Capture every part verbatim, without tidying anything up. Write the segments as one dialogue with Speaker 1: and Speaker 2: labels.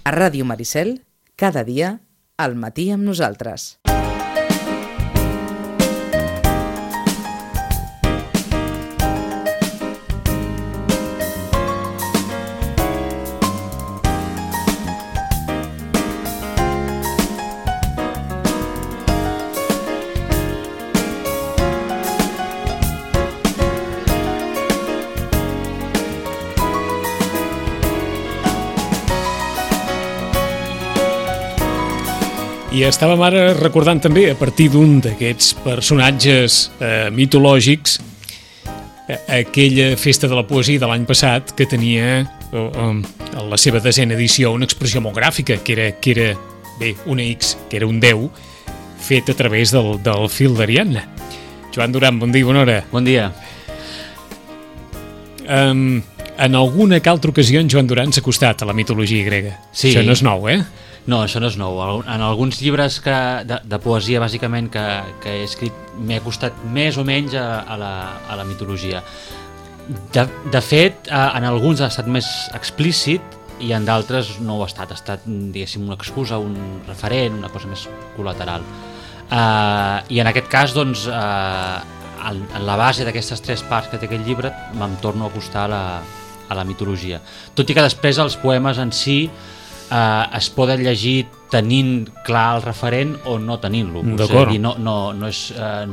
Speaker 1: A Ràdio Maricel, cada dia, al matí amb nosaltres.
Speaker 2: I estàvem ara recordant també, a partir d'un d'aquests personatges eh, mitològics, eh, aquella festa de la poesia de l'any passat que tenia eh, eh, la seva desena edició una expressió molt gràfica, que era, que era bé, una X, que era un deu, fet a través del, del fil d'Ariadna. Joan Duran, bon dia, bona hora.
Speaker 3: Bon dia.
Speaker 2: Um, en alguna que altra ocasió en Joan Duran s'ha acostat a la mitologia grega.
Speaker 3: Sí.
Speaker 2: Això no és nou, eh?
Speaker 3: No, això no és nou. En alguns llibres que, de, de poesia, bàsicament, que, que he escrit, m'he acostat més o menys a, a, la, a la mitologia. De, de fet, en alguns ha estat més explícit i en d'altres no ho ha estat. Ha estat, diguéssim, una excusa, un referent, una cosa més col·lateral. Uh, I en aquest cas, doncs, uh, en, en la base d'aquestes tres parts que té aquest llibre, me'n torno a acostar a la, a la mitologia. Tot i que després els poemes en si Uh, es poden llegir tenint clar el referent o no tenint-lo.
Speaker 2: D'acord.
Speaker 3: No, no, no, és, uh,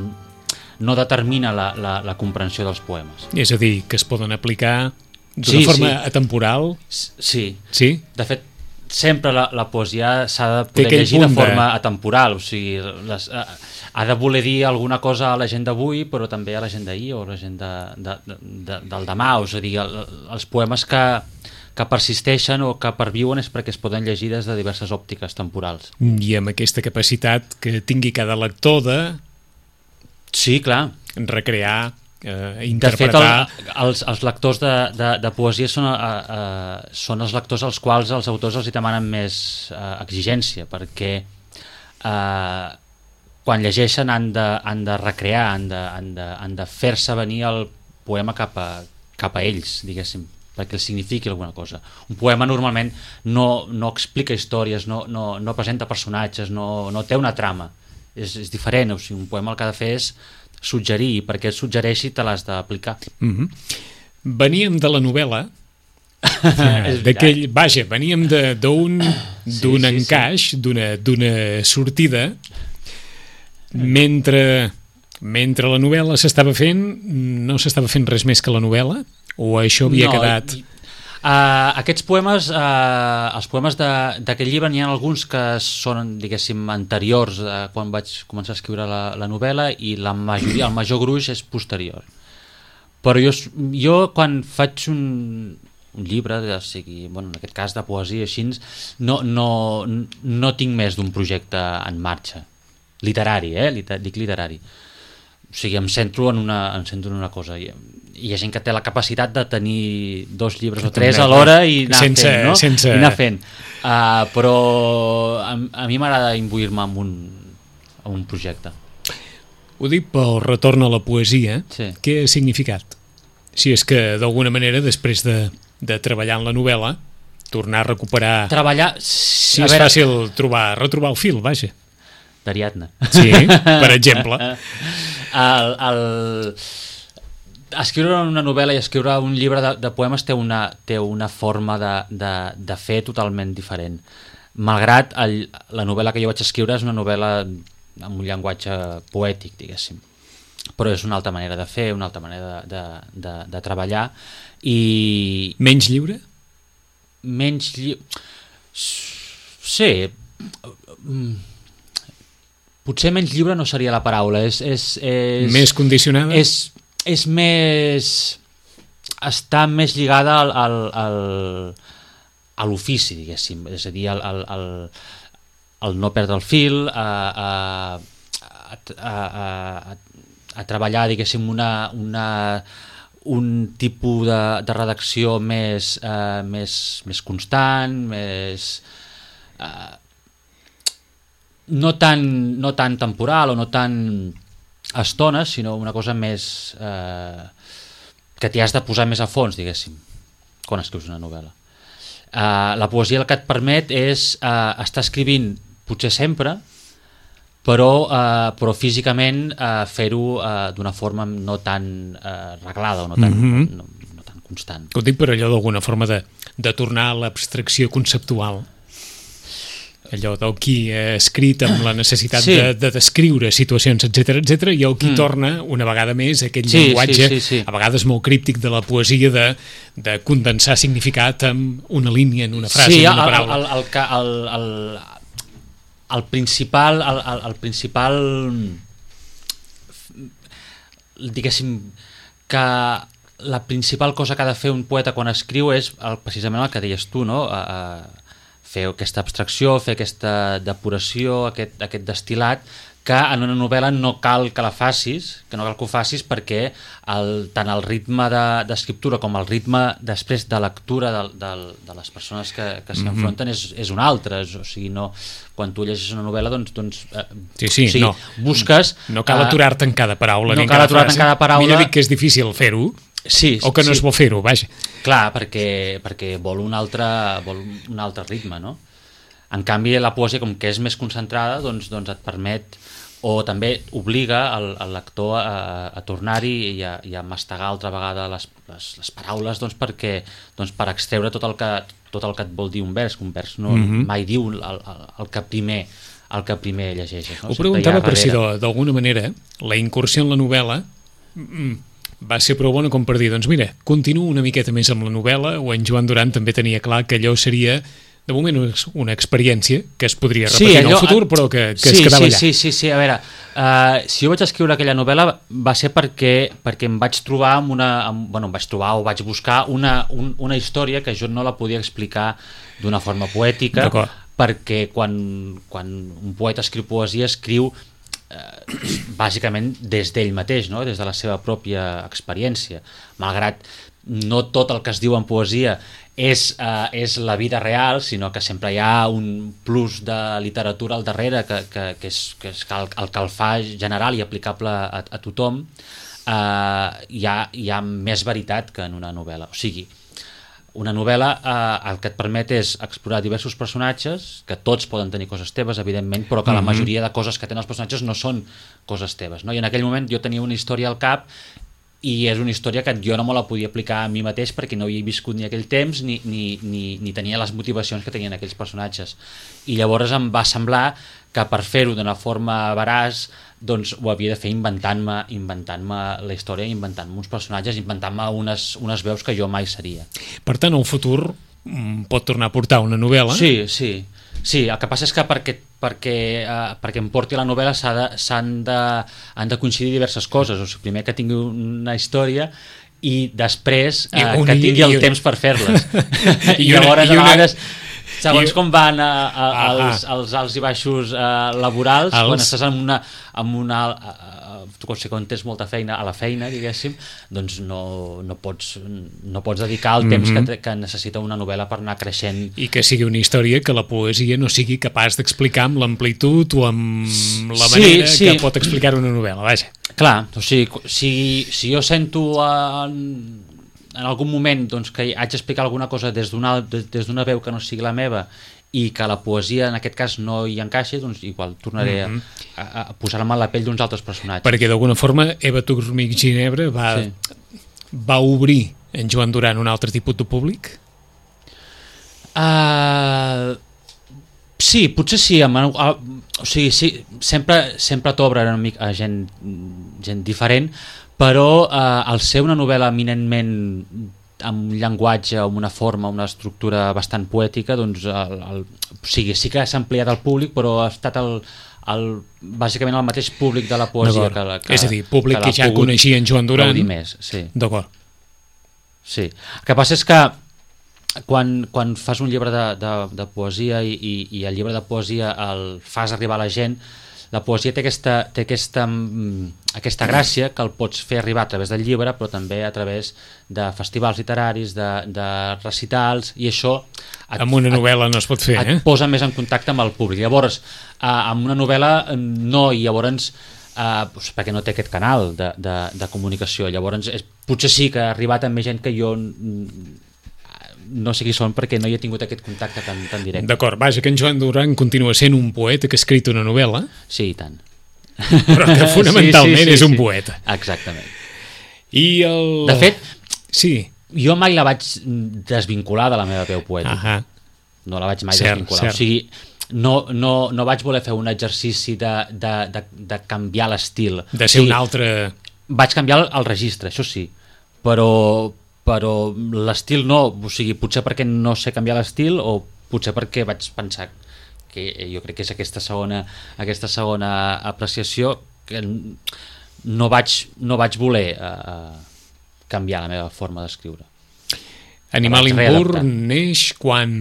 Speaker 3: no determina la, la, la comprensió dels poemes.
Speaker 2: És a dir, que es poden aplicar d'una
Speaker 3: sí,
Speaker 2: forma
Speaker 3: sí.
Speaker 2: atemporal.
Speaker 3: Sí.
Speaker 2: Sí?
Speaker 3: De fet, sempre la, la poesia s'ha de poder llegir de forma de... atemporal. O sigui, les, uh, ha de voler dir alguna cosa a la gent d'avui, però també a la gent d'ahir o a la gent de, de, de, del demà. És a dir, el, els poemes que que persisteixen o que perviuen és perquè es poden llegir des de diverses òptiques temporals.
Speaker 2: I amb aquesta capacitat que tingui cada lector de...
Speaker 3: Sí, clar.
Speaker 2: Recrear, eh, interpretar...
Speaker 3: De fet, el, els, els lectors de, de, de poesia són, eh, eh, són els lectors als quals els autors els hi demanen més eh, exigència, perquè eh, quan llegeixen han de, han de recrear, han de, han de, han de fer-se venir el poema cap a, cap a ells, diguéssim, perquè els signifiqui alguna cosa. Un poema normalment no, no explica històries, no, no, no presenta personatges, no, no té una trama. És, és diferent, o sigui, un poema el que ha de fer és suggerir, i perquè et suggereixi te l'has d'aplicar.
Speaker 2: Mm-hmm. Veníem de la novel·la, d'aquell, vaja, veníem d'un sí, d'un sí, encaix, sí. d'una d'una sortida, mentre, mentre la novel·la s'estava fent, no s'estava fent res més que la novel·la? O això havia no, quedat...
Speaker 3: Uh, aquests poemes, uh, els poemes d'aquest llibre, n'hi ha alguns que són, diguéssim, anteriors a quan vaig començar a escriure la, la novel·la, i la majoria, el major gruix és posterior. Però jo, jo quan faig un, un llibre, o sigui, bueno, en aquest cas de poesia així, no, no, no tinc més d'un projecte en marxa. Literari, eh? Liter, dic literari. O sigui, em centro en una, em centro en una cosa. I, hi ha gent que té la capacitat de tenir dos llibres o tres alhora i anar
Speaker 2: sense,
Speaker 3: fent, no?
Speaker 2: Sense...
Speaker 3: I anar fent. Uh, però a, a mi m'agrada imbuir-me en un, en un projecte.
Speaker 2: Ho dic pel retorn a la poesia.
Speaker 3: Sí.
Speaker 2: Què ha significat? Si és que d'alguna manera, després de, de treballar en la novel·la, tornar a recuperar...
Speaker 3: Treballar...
Speaker 2: Si és veure... fàcil trobar, retrobar el fil, vaja.
Speaker 3: D'Ariadna.
Speaker 2: Sí, per exemple.
Speaker 3: el... el... Escriure una novel·la i escriure un llibre de, de poemes té una, té una forma de, de, de fer totalment diferent. Malgrat el, la novel·la que jo vaig escriure és una novel·la amb un llenguatge poètic, diguéssim. Però és una altra manera de fer, una altra manera de, de, de, de treballar. I...
Speaker 2: Menys lliure?
Speaker 3: Menys lliure... Sí. Potser menys lliure no seria la paraula. És, és, és...
Speaker 2: Més condicionada?
Speaker 3: És... és més... està més lligada al, al, al, a l'ofici, diguéssim, és a dir, al, al, al, al no perdre el fil, a, a, a, a, a treballar, diguéssim, una, una, un tipus de, de redacció més, eh, més, més constant, més... Eh, no tan, no tan temporal o no tan... estones, sinó una cosa més eh, que t'hi has de posar més a fons, diguéssim, quan escrius una novel·la. Uh, la poesia el que et permet és uh, estar escrivint potser sempre, però, uh, però físicament uh, fer-ho uh, d'una forma no tan uh, reglada o no tan, mm-hmm. no, no tan constant.
Speaker 2: Ho dic per allò d'alguna forma de, de tornar a l'abstracció conceptual, allò del qui ha escrit amb la necessitat sí. de, de descriure situacions, etcètera, etcètera, i el qui mm. torna una vegada més aquell
Speaker 3: sí,
Speaker 2: llenguatge,
Speaker 3: sí, sí, sí.
Speaker 2: a vegades molt críptic de la poesia, de, de condensar significat amb una línia, en una frase,
Speaker 3: sí,
Speaker 2: en una
Speaker 3: el,
Speaker 2: paraula.
Speaker 3: El, el, el, el, el, el principal, el, el, el principal, diguéssim, que la principal cosa que ha de fer un poeta quan escriu és el, precisament el que deies tu, no? Uh, fer aquesta abstracció, fer aquesta depuració, aquest, aquest destil·lat, que en una novel·la no cal que la facis, que no cal que ho facis perquè el, tant el ritme d'escriptura de, com el ritme després de lectura de, de, de les persones que, que s'hi enfronten és, és un altre, és, o sigui, no, quan tu llegeixes una novel·la doncs, doncs eh,
Speaker 2: sí, sí,
Speaker 3: o sigui,
Speaker 2: no,
Speaker 3: busques...
Speaker 2: No cal aturar-te en cada paraula
Speaker 3: no
Speaker 2: ni en
Speaker 3: cal
Speaker 2: cada
Speaker 3: aturar-te en cada paraula.
Speaker 2: Millor dic que és difícil fer-ho,
Speaker 3: sí,
Speaker 2: o que no
Speaker 3: sí.
Speaker 2: es vol fer-ho, vaja.
Speaker 3: Clar, perquè, perquè vol, un altre, vol un altre ritme, no? En canvi, la poesia, com que és més concentrada, doncs, doncs et permet, o també obliga el, el lector a, a tornar-hi i, a, i a mastegar altra vegada les, les, les paraules doncs, perquè, doncs, per extreure tot el, que, tot el que et vol dir un vers, que un vers no, mm-hmm. mai diu el, el, el que primer el que primer llegeixes. No?
Speaker 2: Ho preguntava per si d'alguna manera la incursió en la novel·la va ser prou bona com per dir, doncs mira, continuo una miqueta més amb la novel·la, o en Joan Duran també tenia clar que allò seria de moment una experiència que es podria repetir sí, allò, en el futur, però que, que
Speaker 3: sí,
Speaker 2: es quedava
Speaker 3: sí,
Speaker 2: allà.
Speaker 3: Sí, sí, sí, a veure, uh, si jo vaig escriure aquella novel·la va ser perquè, perquè em vaig trobar amb una, amb, bueno, em vaig trobar o vaig buscar una, un, una història que jo no la podia explicar d'una forma poètica, perquè quan, quan un poeta escriu poesia escriu eh, bàsicament des d'ell mateix, no? Des de la seva pròpia experiència, malgrat no tot el que es diu en poesia és, uh, és la vida real, sinó que sempre hi ha un plus de literatura al darrere que, que, que és, que és el, el que el fa general i aplicable a, a tothom. Uh, hi, ha, hi ha més veritat que en una novel·la. O sigui, una novel·la uh, el que et permet és explorar diversos personatges, que tots poden tenir coses teves, evidentment, però que mm-hmm. la majoria de coses que tenen els personatges no són coses teves, no? I en aquell moment jo tenia una història al cap i és una història que jo no me la podia aplicar a mi mateix perquè no havia viscut ni aquell temps ni, ni, ni, ni tenia les motivacions que tenien aquells personatges. I llavors em va semblar que per fer-ho d'una forma veraç doncs ho havia de fer inventant-me inventant-me la història, inventant-me uns personatges, inventant-me unes, unes veus que jo mai seria.
Speaker 2: Per tant, el futur pot tornar a portar una novel·la?
Speaker 3: Sí, sí. Sí, el que passa és que perquè, perquè, uh, perquè em porti la novel·la s'ha de, s'han de, han de coincidir diverses coses. O sigui, primer que tingui una història i després uh, I un, que tingui el i, temps per fer-les. I, I llavors, i una, a vegades, segons i, com van uh, uh, els, els alts i baixos uh, laborals, els... quan estàs en una... En una uh, tu quan tens molta feina a la feina, diguéssim, doncs no, no, pots, no pots dedicar el temps mm-hmm. que, que necessita una novel·la per anar creixent.
Speaker 2: I que sigui una història que la poesia no sigui capaç d'explicar amb l'amplitud o amb la manera sí, sí. que pot explicar una novel·la, vaja.
Speaker 3: Clar, o sigui, si, si jo sento en, en algun moment doncs, que haig d'explicar alguna cosa des d'una des d'una veu que no sigui la meva i que la poesia en aquest cas no hi encaixi, doncs igual tornaré mm-hmm. a, a, a posar-me a la pell d'uns altres personatges.
Speaker 2: Perquè d'alguna forma Eva Turmich Ginebra va, sí. va obrir en Joan Duran un altre tipus de públic?
Speaker 3: Uh, sí, potser sí. Amb, uh, o sigui, sí sempre, sempre t'obre una mica a gent, gent diferent, però uh, al ser una novel·la eminentment amb un llenguatge, amb una forma, una estructura bastant poètica, doncs el, el, o sigui, sí que s'ha ampliat el públic, però ha estat el, el, bàsicament el mateix públic de la poesia que, que,
Speaker 2: és a dir, públic que, que ja coneixia en Joan Duran
Speaker 3: més, sí.
Speaker 2: D'acord.
Speaker 3: Sí. El que passa és que quan, quan fas un llibre de, de, de poesia i, i, i el llibre de poesia el fas arribar a la gent, la poesia té aquesta, té aquesta, aquesta gràcia que el pots fer arribar a través del llibre, però també a través de festivals literaris, de, de recitals, i això et,
Speaker 2: amb una novel·la no es pot fer,
Speaker 3: et
Speaker 2: eh?
Speaker 3: posa més en contacte amb el públic. Llavors, eh, amb una novel·la no, i llavors eh, doncs perquè no té aquest canal de, de, de comunicació. Llavors, és, potser sí que ha arribat a més gent que jo no sé qui són perquè no hi he tingut aquest contacte tan, tan directe.
Speaker 2: D'acord, vaja, que en Joan Duran continua sent un poeta que ha escrit una novel·la.
Speaker 3: Sí, i tant.
Speaker 2: Però que fonamentalment sí, sí, sí, és un sí. poeta.
Speaker 3: Exactament.
Speaker 2: I el...
Speaker 3: De fet,
Speaker 2: sí.
Speaker 3: jo mai la vaig desvincular de la meva veu poètica.
Speaker 2: Ahà.
Speaker 3: No la vaig mai
Speaker 2: cert,
Speaker 3: desvincular.
Speaker 2: Cert.
Speaker 3: O sigui, no, no, no vaig voler fer un exercici de, de, de, de canviar l'estil.
Speaker 2: De ser o sigui, un altre...
Speaker 3: Vaig canviar el, el registre, això sí, però, però l'estil no, o sigui, potser perquè no sé canviar l'estil o potser perquè vaig pensar que jo crec que és aquesta segona, aquesta segona apreciació que no vaig, no vaig voler uh, canviar la meva forma d'escriure.
Speaker 2: Animal impur neix quan...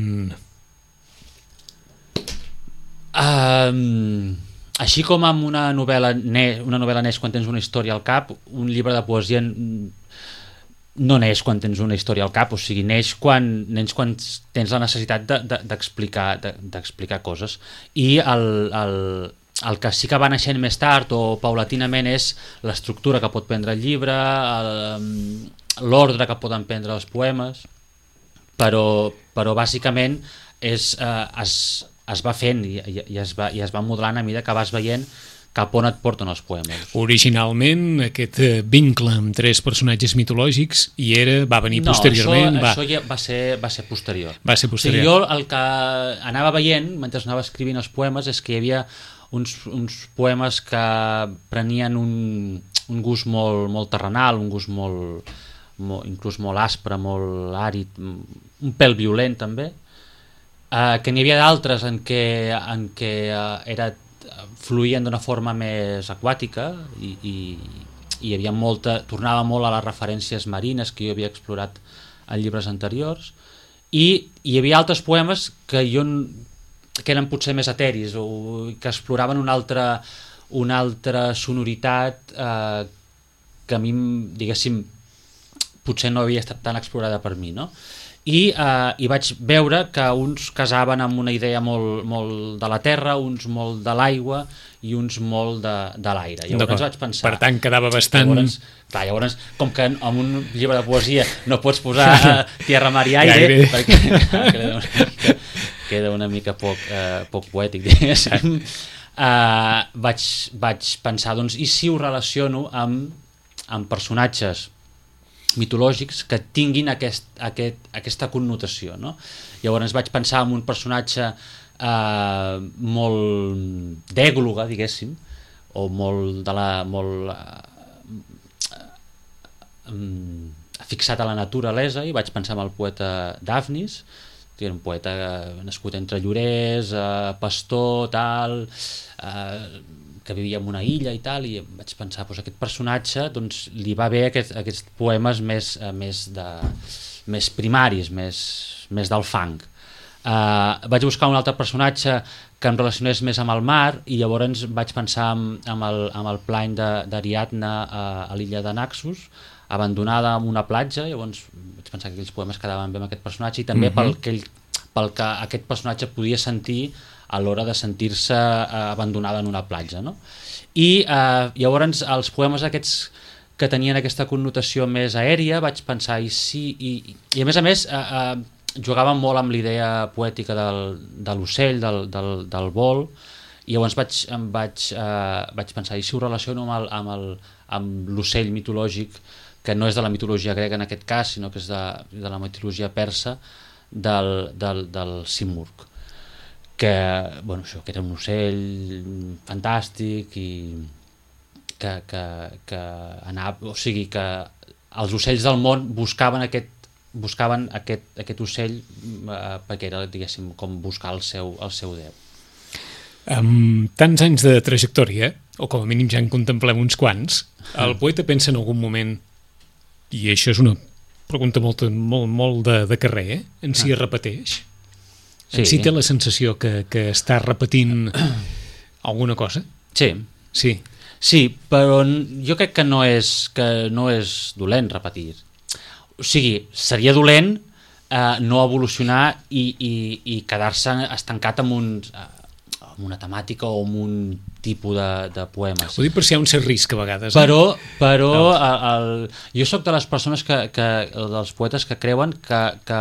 Speaker 3: Um, així com amb una novel·la neix, una novel·la neix quan tens una història al cap, un llibre de poesia no neix quan tens una història al cap, o sigui, neix quan, neix quan tens la necessitat de, de, d'explicar, de, d'explicar coses. I el, el, el que sí que va naixent més tard o paulatinament és l'estructura que pot prendre el llibre, el, l'ordre que poden prendre els poemes, però, però bàsicament és, eh, es, es va fent i, i, i, es va, i es va modelant a mesura que vas veient cap on et porten els poemes.
Speaker 2: Originalment aquest vincle amb tres personatges mitològics i era, va venir
Speaker 3: no,
Speaker 2: posteriorment...
Speaker 3: No,
Speaker 2: va...
Speaker 3: això ja va ser, va ser posterior.
Speaker 2: Va ser posterior.
Speaker 3: O sigui, jo el que anava veient mentre anava escrivint els poemes és que hi havia uns, uns poemes que prenien un, un gust molt, molt terrenal, un gust molt, molt, inclús molt aspre, molt àrid, un pèl violent també, Uh, que n'hi havia d'altres en què, en què uh, era, fluïen d'una forma més aquàtica i, i, i hi havia molta, tornava molt a les referències marines que jo havia explorat en llibres anteriors, i hi havia altres poemes que jo que eren potser més eteris o que exploraven una altra, una altra sonoritat eh, que a mi, diguéssim, potser no havia estat tan explorada per mi, no? I, eh, i vaig veure que uns casaven amb una idea molt, molt de la terra, uns molt de l'aigua i uns molt de, de l'aire. Llavors vaig pensar...
Speaker 2: Per tant, quedava bastant...
Speaker 3: Llavors, clar, llavors, com que en un llibre de poesia no pots posar uh, tierra, mar i aire, aire. Perquè queda, una mica, queda una mica poc, uh, poc poètic, diguéssim, uh, vaig, vaig pensar, doncs, i si ho relaciono amb, amb personatges mitològics que tinguin aquest, aquest, aquesta connotació, no? Llavors vaig pensar en un personatge eh, molt d'ègloga, diguéssim, o molt, de la, molt eh, eh, fixat a la naturalesa, i vaig pensar en el poeta Dafnis, que era un poeta nascut entre Llorers, eh, pastor, tal... Eh, que vivia en una illa i tal, i vaig pensar, doncs aquest personatge doncs, li va bé aquest, aquests poemes més, uh, més, de, més primaris, més, més del fang. Uh, vaig buscar un altre personatge que em relacionés més amb el mar, i llavors vaig pensar amb, amb, el, amb el plany d'Ariadna a, a l'illa de Naxos, abandonada en una platja. Llavors vaig pensar que aquells poemes quedaven bé amb aquest personatge, i també mm-hmm. pel, que ell, pel que aquest personatge podia sentir a l'hora de sentir-se eh, abandonada en una platja, no? I eh, llavors els poemes aquests que tenien aquesta connotació més aèria vaig pensar, i sí, i, i a més a més eh, eh, jugaven molt amb l'idea poètica del, de l'ocell, del, del, del vol, i llavors vaig, em vaig, eh, vaig pensar, i si ho relaciono amb, el, amb, el, amb l'ocell mitològic, que no és de la mitologia grega en aquest cas, sinó que és de, de la mitologia persa, del, del, del Simurg, que, bueno, això, que era un ocell fantàstic i que, que, que anava, o sigui que els ocells del món buscaven aquest, buscaven aquest, aquest ocell eh, perquè era, diguéssim, com buscar el seu, el seu déu.
Speaker 2: Amb tants anys de trajectòria, o com a mínim ja en contemplem uns quants, el poeta pensa en algun moment, i això és una pregunta molt, molt, molt de, de carrer, eh? En si es repeteix? Sí. Si té la sensació que, que està repetint alguna cosa?
Speaker 3: Sí.
Speaker 2: Sí.
Speaker 3: Sí, però jo crec que no és, que no és dolent repetir. O sigui, seria dolent eh, no evolucionar i, i, i quedar-se estancat amb uns, eh, amb una temàtica o amb un tipus de, de poemes.
Speaker 2: Ho dic per si hi ha un cert risc a vegades.
Speaker 3: Però,
Speaker 2: eh?
Speaker 3: però
Speaker 2: no.
Speaker 3: el, el, jo sóc de les persones que, que dels poetes que creuen que, que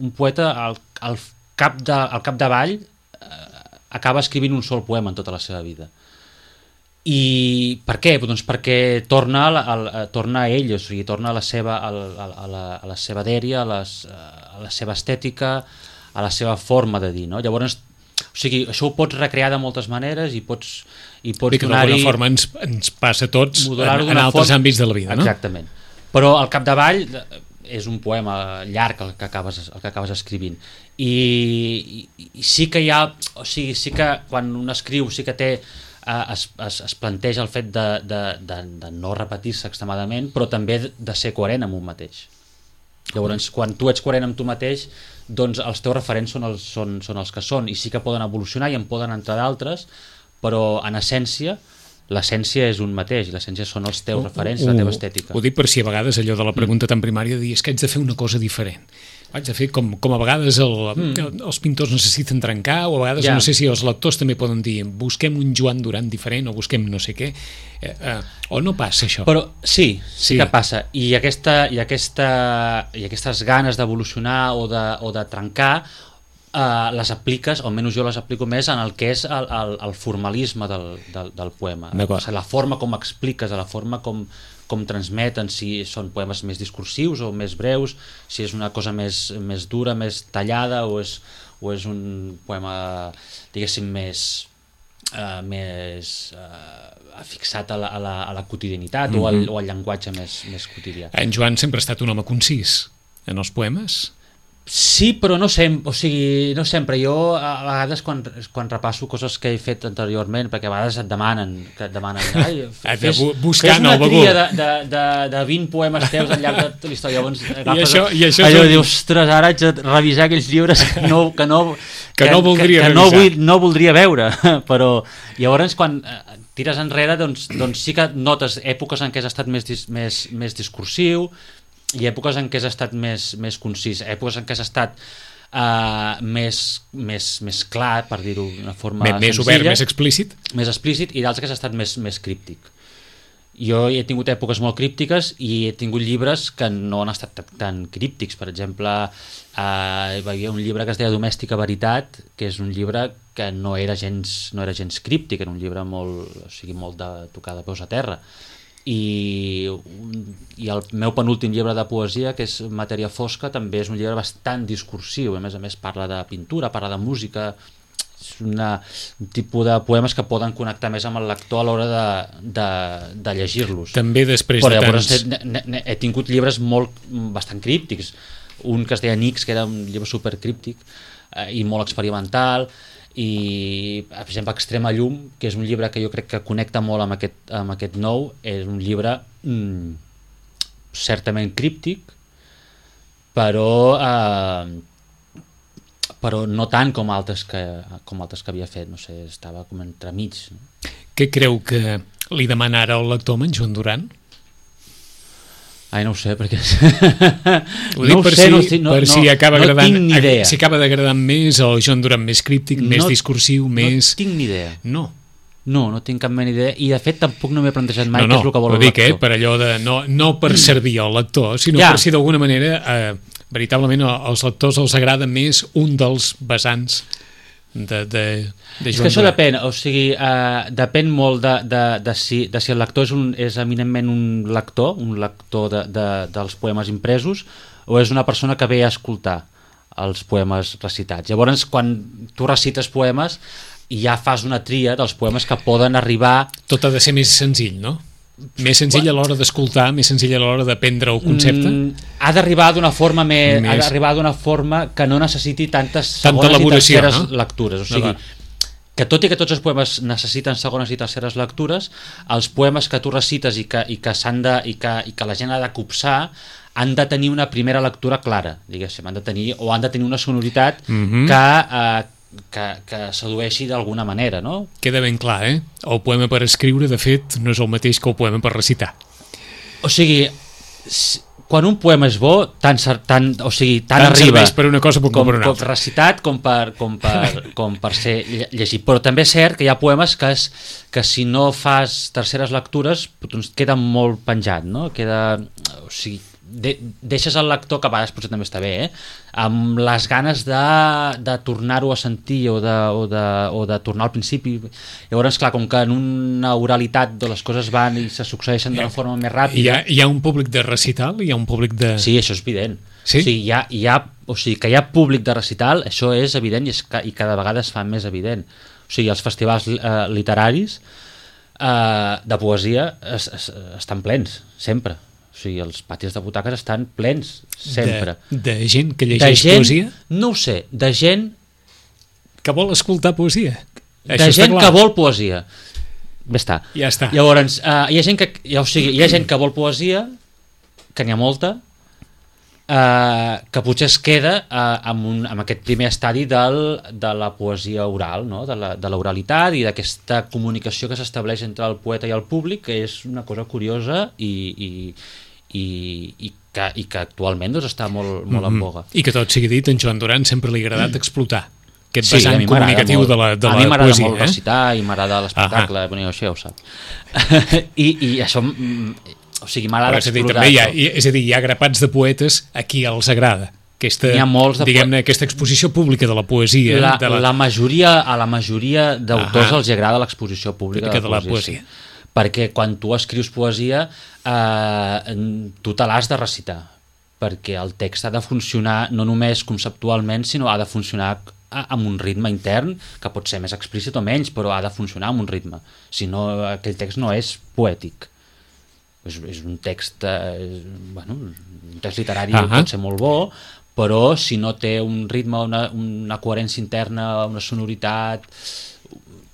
Speaker 3: un poeta al, al cap de, al capdavall eh, acaba escrivint un sol poema en tota la seva vida. I per què? Doncs perquè torna a, a, a, torna a ell, o sigui, torna a la seva, a, a, a, la, a la seva dèria, a, les, a la seva estètica, a la seva forma de dir, no? Llavors, o sigui, això ho pots recrear de moltes maneres i pots, i pots
Speaker 2: que
Speaker 3: donar-hi...
Speaker 2: d'alguna forma ens, ens passa a tots en, en altres
Speaker 3: forma...
Speaker 2: àmbits de la vida, no?
Speaker 3: Exactament. Però al capdavall és un poema llarg el que acabes, el que acabes escrivint. I, i, i sí que hi ha... O sigui, sí que quan un escriu sí que té... Es, es, es planteja el fet de, de, de, de no repetir-se extremadament, però també de ser coherent amb un mateix. Llavors, quan tu ets coherent amb tu mateix, doncs els teus referents són els, són, són els que són, i sí que poden evolucionar i en poden entrar d'altres, però en essència l'essència és un mateix, i l'essència són els teus referents, la teva estètica.
Speaker 2: Ho dic per si a vegades allò de la pregunta tan primària de dir és que haig de fer una cosa diferent. Haig de fer com, com a vegades el, mm. els pintors necessiten trencar, o a vegades ja. No sé si els lectors també poden dir busquem un Joan Duran diferent o busquem no sé què, eh, eh, o no passa això.
Speaker 3: Però sí, sí, sí que passa, i, aquesta, i, aquesta, i aquestes ganes d'evolucionar o, de, o de trencar Uh, les apliques, o almenys jo les aplico més en el que és el, el, el formalisme del, del, del poema, o sigui, la forma com expliques, la forma com, com transmeten, si són poemes més discursius o més breus, si és una cosa més, més dura, més tallada, o és, o és un poema, diguéssim, més, uh, més uh, fixat a la, a la, a la quotidianitat, mm-hmm. o, al, o al llenguatge més, més quotidià.
Speaker 2: En Joan sempre ha estat un home concís en els poemes?
Speaker 3: Sí, però no sempre, o sigui, no sempre. Jo a vegades quan, quan repasso coses que he fet anteriorment, perquè a vegades et demanen, que et demanen, ai, fes, fes una tria de, de, de, de vint poemes teus al llarg de tota la història. Llavors agafes, I això, i això allò, són... dius, ostres, ara haig de revisar aquells llibres que no, que no,
Speaker 2: que, que no voldria
Speaker 3: que, que no, vull, no voldria veure, però llavors quan tires enrere, doncs, doncs sí que notes èpoques en què has estat més, més, més discursiu, i èpoques en què has estat més, més concís, èpoques en què has estat uh, més, més, més clar, per dir-ho d'una forma
Speaker 2: més, més obert, més explícit,
Speaker 3: més explícit, i d'altres que has estat més, més críptic. Jo he tingut èpoques molt críptiques i he tingut llibres que no han estat tan críptics. Per exemple, uh, hi havia un llibre que es deia Domèstica Veritat, que és un llibre que no era gens, no era gens críptic, era un llibre molt, o sigui, molt de tocar de peus a terra. I, i el meu penúltim llibre de poesia, que és Matèria Fosca, també és un llibre bastant discursiu, a més a més parla de pintura, parla de música, és una, un tipus de poemes que poden connectar més amb el lector a l'hora de, de, de llegir-los.
Speaker 2: També després
Speaker 3: però
Speaker 2: de
Speaker 3: llavors
Speaker 2: tants...
Speaker 3: he, he, he tingut llibres molt, bastant críptics, un que es deia Nix, que era un llibre supercríptic eh, i molt experimental, i per exemple Extrema Llum, que és un llibre que jo crec que connecta molt amb aquest, amb aquest nou, és un llibre mm, certament críptic, però eh, però no tant com altres que, com altres que havia fet, no sé, estava com entremig.
Speaker 2: Què creu que li demana ara el lector amb en Joan Duran?
Speaker 3: Ai, no ho sé, perquè...
Speaker 2: Ho dic
Speaker 3: no
Speaker 2: per,
Speaker 3: sé,
Speaker 2: si,
Speaker 3: no, no,
Speaker 2: per si acaba
Speaker 3: no
Speaker 2: agradant,
Speaker 3: tinc ni idea.
Speaker 2: Si acaba d'agradar més el Joan Duran més críptic, no, més discursiu, més...
Speaker 3: No tinc ni idea.
Speaker 2: No.
Speaker 3: No, no tinc cap mena idea, i de fet tampoc no m'he plantejat mai
Speaker 2: no, no,
Speaker 3: què és el que vol el
Speaker 2: dic,
Speaker 3: lector.
Speaker 2: Eh, per allò de... No, no per servir al lector, sinó ja. Per si d'alguna manera, eh, veritablement, als lectors els agrada més un dels vessants de, de, de Joan
Speaker 3: És que això
Speaker 2: Duran.
Speaker 3: depèn, o sigui, eh, depèn molt de, de, de, si, de si el lector és, un, és eminentment un lector, un lector de, de, dels poemes impresos, o és una persona que ve a escoltar els poemes recitats. Llavors, quan tu recites poemes, ja fas una tria dels poemes que poden arribar...
Speaker 2: Tot ha de ser més senzill, no? Més senzill a l'hora d'escoltar, més senzill a l'hora de prendre el concepte? Mm,
Speaker 3: ha d'arribar d'una forma més, més... ha d'arribar d'una forma que no necessiti tantes
Speaker 2: Tanta
Speaker 3: segones i terceres
Speaker 2: no?
Speaker 3: lectures. O sigui, que tot i que tots els poemes necessiten segones i terceres lectures, els poemes que tu recites i que, i que, s'han de, i que, i que la gent ha de copsar han de tenir una primera lectura clara, diguéssim, han de tenir, o han de tenir una sonoritat mm-hmm. que... Eh, Que, que sedueixi d'alguna manera, no?
Speaker 2: Queda ben clar, eh? El poema per escriure, de fet, no és el mateix que el poema per recitar.
Speaker 3: O sigui, quan un poema és bo, tant, tant, o sigui, tant,
Speaker 2: tant
Speaker 3: arriba
Speaker 2: per una cosa com,
Speaker 3: com,
Speaker 2: per una
Speaker 3: com
Speaker 2: altra.
Speaker 3: recitat com per, com, per, com per ser llegit. Però també és cert que hi ha poemes que, és, que si no fas terceres lectures doncs queda molt penjat, no? Queda, o sigui, de, deixes el lector, que a vegades potser també està bé, eh? Amb les ganes de, de tornar-ho a sentir o de, o, de, o de tornar al principi. Llavors, clar, com que en una oralitat de les coses van i se succeeixen d'una forma més ràpida...
Speaker 2: Hi ha, hi ha un públic de recital? Hi ha un públic de...
Speaker 3: Sí, això és evident.
Speaker 2: Sí?
Speaker 3: O sigui, hi ha, hi ha, o sigui, que hi ha públic de recital, això és evident i, és, i cada vegada es fa més evident. O sigui, els festivals eh, literaris eh, de poesia es, es, estan plens, sempre. O sigui, els patis de butaques estan plens, sempre.
Speaker 2: De, de gent que llegeix
Speaker 3: de gent,
Speaker 2: poesia?
Speaker 3: No ho sé, de gent...
Speaker 2: Que vol escoltar poesia.
Speaker 3: De Això gent que vol poesia. Bé està.
Speaker 2: Ja està.
Speaker 3: Llavors, uh, hi ha gent que, ja, o sigui, hi ha gent que vol poesia, que n'hi ha molta, uh, que potser es queda uh, amb, un, amb aquest primer estadi del, de la poesia oral, no? de, la, de l'oralitat i d'aquesta comunicació que s'estableix entre el poeta i el públic, que és una cosa curiosa i... i I, i, que, i que actualment doncs, està molt, molt en boga.
Speaker 2: I que tot sigui dit, en Joan Duran sempre li ha agradat explotar aquest
Speaker 3: sí,
Speaker 2: vessant comunicatiu
Speaker 3: molt,
Speaker 2: de la, de
Speaker 3: a
Speaker 2: la
Speaker 3: mi m'agrada
Speaker 2: poesia.
Speaker 3: molt
Speaker 2: eh?
Speaker 3: recitar i m'agrada l'espectacle, bueno, això ja ho sap. I, I això, o sigui, m'agrada explotar.
Speaker 2: També hi ha, és a dir, hi ha grapats de poetes a qui els agrada. Aquesta, diguem-ne, aquesta exposició pública de la poesia.
Speaker 3: La,
Speaker 2: de la...
Speaker 3: La majoria, a la majoria d'autors els agrada l'exposició pública de la,
Speaker 2: de la poesia.
Speaker 3: Sí. Perquè quan tu escrius poesia eh, tu te l'has de recitar, perquè el text ha de funcionar no només conceptualment, sinó ha de funcionar amb un ritme intern, que pot ser més explícit o menys, però ha de funcionar amb un ritme, si no aquell text no és poètic, és, és un text eh, bueno, un text literari uh -huh. pot ser molt bo, però si no té un ritme, una, una coherència interna, una sonoritat,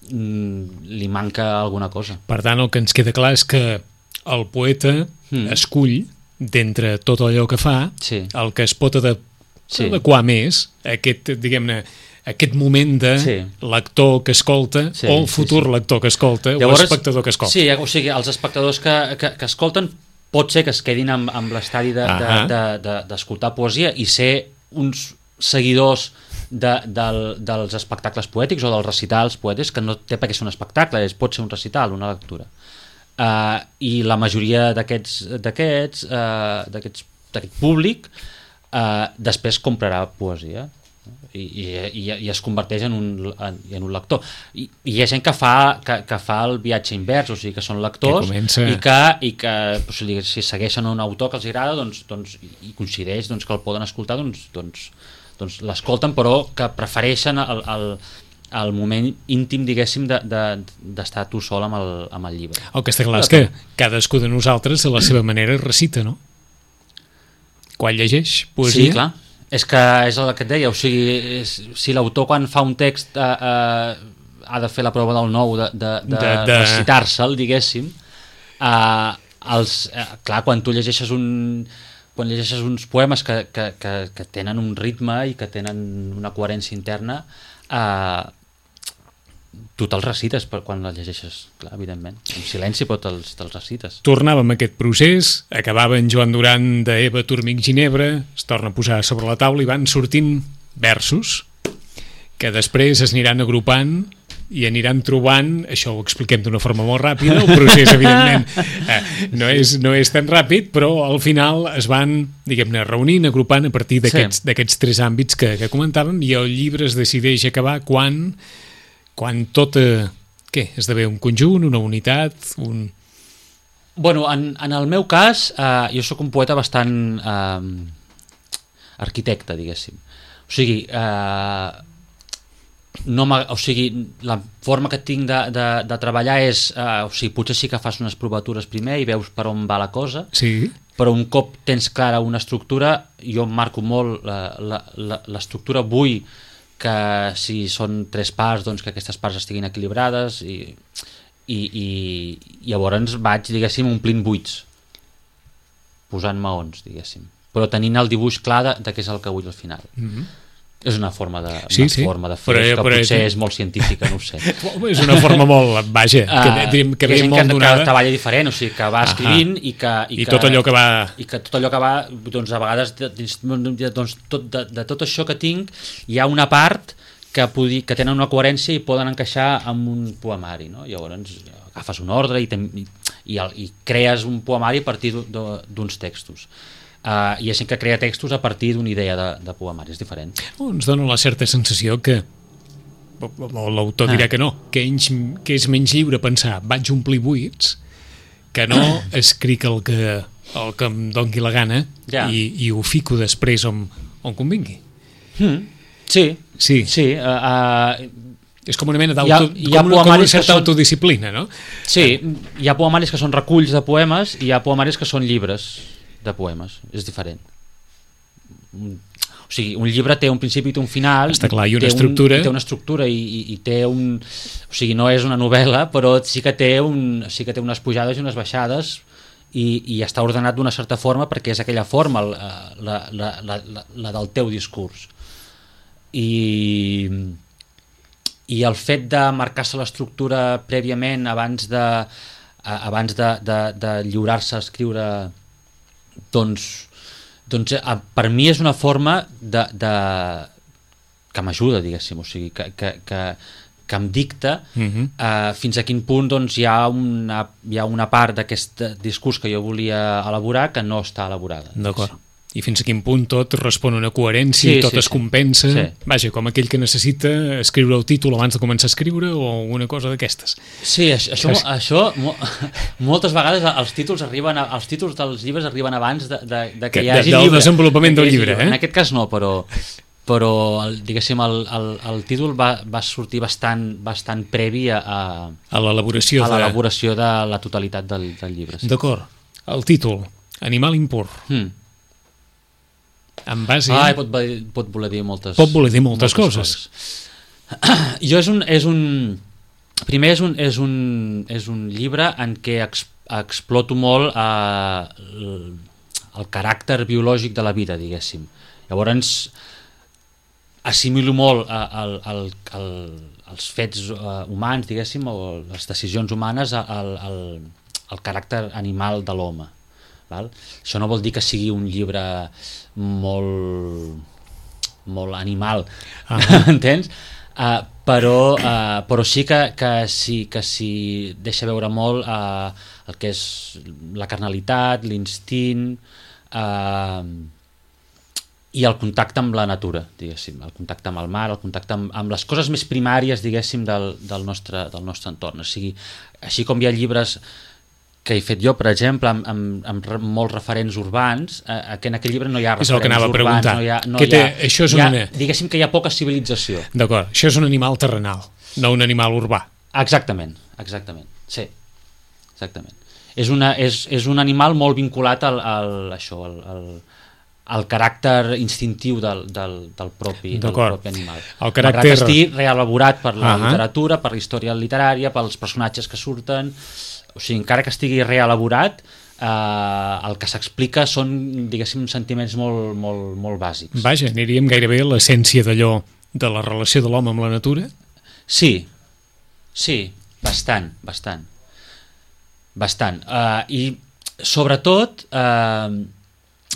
Speaker 3: li manca alguna cosa.
Speaker 2: Per tant, el que ens queda clar és que el poeta mm. escull, d'entre tot allò que fa,
Speaker 3: sí.
Speaker 2: el que es pot adap
Speaker 3: sí.
Speaker 2: adequar més a aquest, diguem-ne, aquest moment de sí. lector que escolta, sí, o el futur sí, sí. lector que escolta, Llavors, o espectador que escolta.
Speaker 3: Sí, o sigui, els espectadors que, que, que escolten pot ser que es quedin amb, amb l'estadi d'escoltar de, de, de, de posar i ser uns seguidors de, de, dels espectacles poètics o dels recitals poètics, que no té per què ser un espectacle, és, pot ser un recital, una lectura. Uh, I la majoria d'aquests d'aquests uh, d'aquest públic uh, després comprarà poesia i, i, i es converteix en un, en, en un lector. I, i hi ha gent que fa, que, que fa el viatge invers, o sigui, que són lectors
Speaker 2: que comença...
Speaker 3: i que, i que o sigui, si segueixen un autor que els agrada doncs, doncs, i coincideix doncs, que el poden escoltar, doncs, doncs doncs l'escolten, però que prefereixen el, el, el moment íntim, diguéssim, d'estar de, de, tu sol amb el, amb el llibre.
Speaker 2: El que està clar és que cadascú de nosaltres a la seva manera recita, no? Quan llegeix poesia...
Speaker 3: Sí, clar. És que és el que et deia, o sigui, és, si l'autor quan fa un text eh, eh, ha de fer la prova del nou, de, de, de, de, de... recitar-se'l, diguéssim, eh, els, eh, clar, quan tu llegeixes un... quan llegeixes uns poemes que, que, que, que tenen un ritme i que tenen una coherència interna, eh, tu te'ls recites per quan els llegeixes, clar, evidentment. En silenci, però te'ls te recites.
Speaker 2: Tornàvem a aquest procés, acabava en Joan Duran d'Eva Turmig Ginebra, es torna a posar sobre la taula i van sortint versos que després es aniran agrupant i aniran trobant, això ho expliquem d'una forma molt ràpida, el procés evidentment eh, no, és, no és tan ràpid, però al final es van, diguem-ne, reunint, agrupant a partir d'aquests sí. d'aquests tres àmbits que, que comentàvem, i el llibre es decideix acabar quan, quan tot, eh, què, esdevé un conjunt, una unitat, un...
Speaker 3: Bueno, en, en el meu cas, eh, jo sóc un poeta bastant eh, arquitecte, diguéssim. O sigui, eh, no o sigui, la forma que tinc de, de, de treballar és, eh, o sigui, potser sí que fas unes provatures primer i veus per on va la cosa,
Speaker 2: sí.
Speaker 3: però un cop tens clara una estructura, jo em marco molt l'estructura, vull que si són tres parts, doncs que aquestes parts estiguin equilibrades i, i, i, i llavors vaig, diguéssim, omplint buits, posant maons, diguéssim, però tenint el dibuix clar de, de què és el que vull al final.
Speaker 2: Mm-hmm.
Speaker 3: És una forma de,
Speaker 2: sí,
Speaker 3: una
Speaker 2: sí.
Speaker 3: forma de fer
Speaker 2: però,
Speaker 3: que
Speaker 2: però
Speaker 3: potser
Speaker 2: és...
Speaker 3: és molt científica, no ho sé.
Speaker 2: És una forma molt, vaja, que,
Speaker 3: uh,
Speaker 2: que ve
Speaker 3: gent
Speaker 2: molt
Speaker 3: que,
Speaker 2: donada.
Speaker 3: que treballa diferent, o sigui, que va escrivint i que...
Speaker 2: I,
Speaker 3: I,
Speaker 2: tot
Speaker 3: que,
Speaker 2: allò que va...
Speaker 3: I que tot allò que va, doncs a vegades, doncs, tot, de, de tot això que tinc, hi ha una part que, podi, que tenen una coherència i poden encaixar amb un poemari, no? Llavors agafes un ordre i, ten, i, i, el, i crees un poemari a partir d'uns textos. Uh, hi ha gent que crea textos a partir d'una idea de, de poemari, és diferent.
Speaker 2: Ens dona la certa sensació que l'autor dirà ah. que no, que, ells, que és menys lliure pensar vaig omplir buits que no escric el que, el que em doni la gana
Speaker 3: ja.
Speaker 2: i, i ho fico després on, on convingui.
Speaker 3: Mm. Sí,
Speaker 2: sí.
Speaker 3: sí uh, uh,
Speaker 2: és com una mena d'auto,
Speaker 3: hi ha, hi ha
Speaker 2: com, una, com una certa
Speaker 3: són...
Speaker 2: autodisciplina, no?
Speaker 3: Sí, hi ha poemaris que són reculls de poemes i hi ha poemaris que són llibres de poemes, és diferent. O sigui, un llibre té un principi i té un final.
Speaker 2: Està clar, i una
Speaker 3: té
Speaker 2: estructura.
Speaker 3: Un, té una estructura i, i, i té un... O sigui, no és una novel·la, però sí que té, un, sí que té unes pujades i unes baixades i, i està ordenat d'una certa forma perquè és aquella forma la, la, la, la, la del teu discurs. I, i el fet de marcar-se l'estructura prèviament abans de, abans de, de, de lliurar-se a escriure, doncs, doncs per mi és una forma de, de que m'ajuda, diguéssim, o sigui, que, que, que, que em dicta uh-huh. uh, fins a quin punt doncs, hi, ha una, hi ha una part d'aquest discurs que jo volia elaborar que no està elaborada.
Speaker 2: D'acord. I fins a quin punt tot respon a una coherència
Speaker 3: sí,
Speaker 2: i tot
Speaker 3: sí,
Speaker 2: es compensa.
Speaker 3: Sí.
Speaker 2: Vaja, com aquell que necessita escriure el títol abans de començar a escriure o una cosa d'aquestes.
Speaker 3: Sí, això, això, això mo, moltes vegades els títols arriben a, els títols dels llibres arriben abans de, de, de que, que hi hagi
Speaker 2: del
Speaker 3: llibre.
Speaker 2: desenvolupament del llibre. Eh?
Speaker 3: En aquest cas no, però però el, diguéssim el, el, el títol va, va sortir bastant, bastant previ a, a,
Speaker 2: a l'elaboració
Speaker 3: a
Speaker 2: de...
Speaker 3: l'elaboració de la totalitat del, del llibre. Sí.
Speaker 2: D'acord. El títol, Animal impur.
Speaker 3: Hmm.
Speaker 2: En base...
Speaker 3: Ah, pot, pot voler dir moltes,
Speaker 2: pot voler dir moltes, moltes coses.
Speaker 3: coses. Jo és un, és un... Primer és un, és un, és un llibre en què ex, exploto molt eh, el, el caràcter biològic de la vida, diguéssim. Llavors assimilo molt el, el, el, els fets eh, humans, diguéssim, o les decisions humanes al, al, al caràcter animal de l'home. Val? Això no vol dir que sigui un llibre molt molt animal, uh-huh. entens? Uh, però, uh, però sí que, que, sí, que sí deixa veure molt uh, el que és la carnalitat, l'instint uh, i el contacte amb la natura, diguéssim, el contacte amb el mar, el contacte amb, amb les coses més primàries, diguéssim, del, del, nostre, del nostre entorn. O sigui, així com hi ha llibres que he fet jo, per exemple, amb, amb, amb molts referents urbans, eh, que en aquell llibre no hi ha referents urbans. És el que anava a preguntar. No hi ha, no hi ha,
Speaker 2: això és
Speaker 3: hi ha,
Speaker 2: una...
Speaker 3: Diguéssim que hi ha poca civilització.
Speaker 2: D'acord, això és un animal terrenal, no un animal urbà.
Speaker 3: Exactament, exactament, sí, exactament. És, una, és, és un animal molt vinculat al, al, això, al, al, al caràcter instintiu del, del, del, propi, del propi animal.
Speaker 2: El caràcter...
Speaker 3: Malgrat estigui reelaborat per la
Speaker 2: uh-huh.
Speaker 3: literatura, per la història literària, pels personatges que surten... O sigui, encara que estigui reelaborat, eh, el que s'explica són, diguéssim, sentiments molt, molt, molt bàsics.
Speaker 2: Vaja, aniríem gairebé a l'essència d'allò de la relació de l'home amb la natura?
Speaker 3: Sí, sí, bastant, bastant. Bastant. Eh, I, sobretot, eh,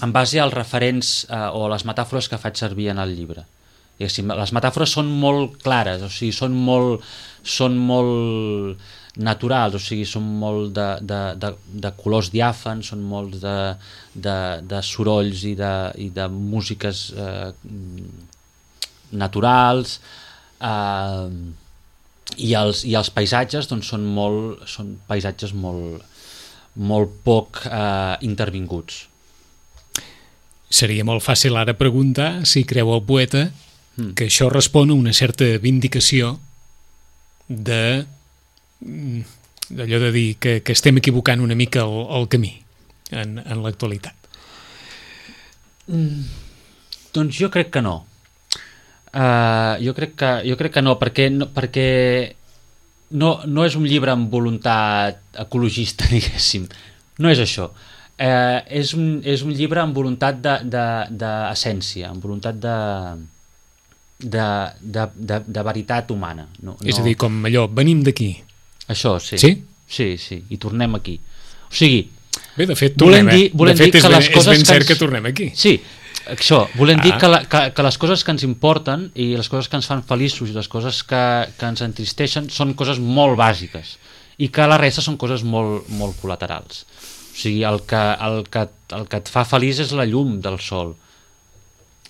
Speaker 3: en base als referents eh, o a les metàfores que faig servir en el llibre. Diguéssim, les metàfores són molt clares, o sigui, són molt... Són molt naturals, o sigui, són molt de, de, de, de colors diàfans, són molts de, de, de sorolls i de, i de músiques eh, naturals, eh, i, els, i els paisatges doncs, són, molt, són paisatges molt, molt poc eh, intervinguts.
Speaker 2: Seria molt fàcil ara preguntar si creu el poeta mm. que això respon a una certa vindicació de d'allò de dir que, que estem equivocant una mica el, el camí en, en l'actualitat.
Speaker 3: Mm, doncs jo crec que no. Uh, jo, crec que, jo crec que no, perquè, no, perquè no, no és un llibre amb voluntat ecologista, diguéssim. No és això. Uh, és, un, és un llibre amb voluntat d'essència, amb voluntat de, de, de, de, de veritat humana. No,
Speaker 2: És
Speaker 3: no...
Speaker 2: a dir, com allò, venim d'aquí.
Speaker 3: Això, sí.
Speaker 2: Sí?
Speaker 3: Sí, sí, i tornem aquí. O sigui,
Speaker 2: Bé, de fet,
Speaker 3: volem
Speaker 2: tornem,
Speaker 3: dir,
Speaker 2: eh?
Speaker 3: volem
Speaker 2: de fet,
Speaker 3: dir que
Speaker 2: és ben,
Speaker 3: les coses
Speaker 2: és ben
Speaker 3: que
Speaker 2: cert
Speaker 3: ens...
Speaker 2: que tornem aquí.
Speaker 3: Sí, això, volem
Speaker 2: Ah.
Speaker 3: dir que, la, que, que les coses que ens importen i les coses que ens fan feliços i les coses que, que ens entristeixen són coses molt bàsiques i que la resta són coses molt, molt col·laterals. O sigui, el que, el, que, el que et fa feliç és la llum del sol.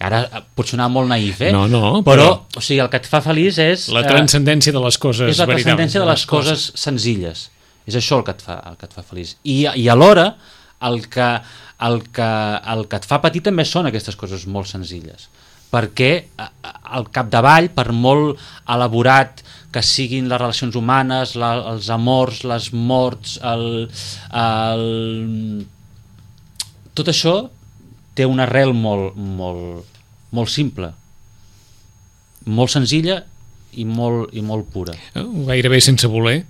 Speaker 3: Ara pot sonar molt naïf, eh?
Speaker 2: No, no,
Speaker 3: però...
Speaker 2: però...
Speaker 3: o sigui, el que et fa feliç és...
Speaker 2: La transcendència de les coses
Speaker 3: és la
Speaker 2: veritables.
Speaker 3: transcendència de les coses senzilles. És això el que et fa, el que et fa feliç. I, i alhora, el que, el, que, el que et fa patir també són aquestes coses molt senzilles. Perquè al capdavall, per molt elaborat que siguin les relacions humanes, la, els amors, les morts, el, el... tot això té una arrel molt, molt, molt simple, molt senzilla i molt, i molt pura.
Speaker 2: Gairebé sense voler.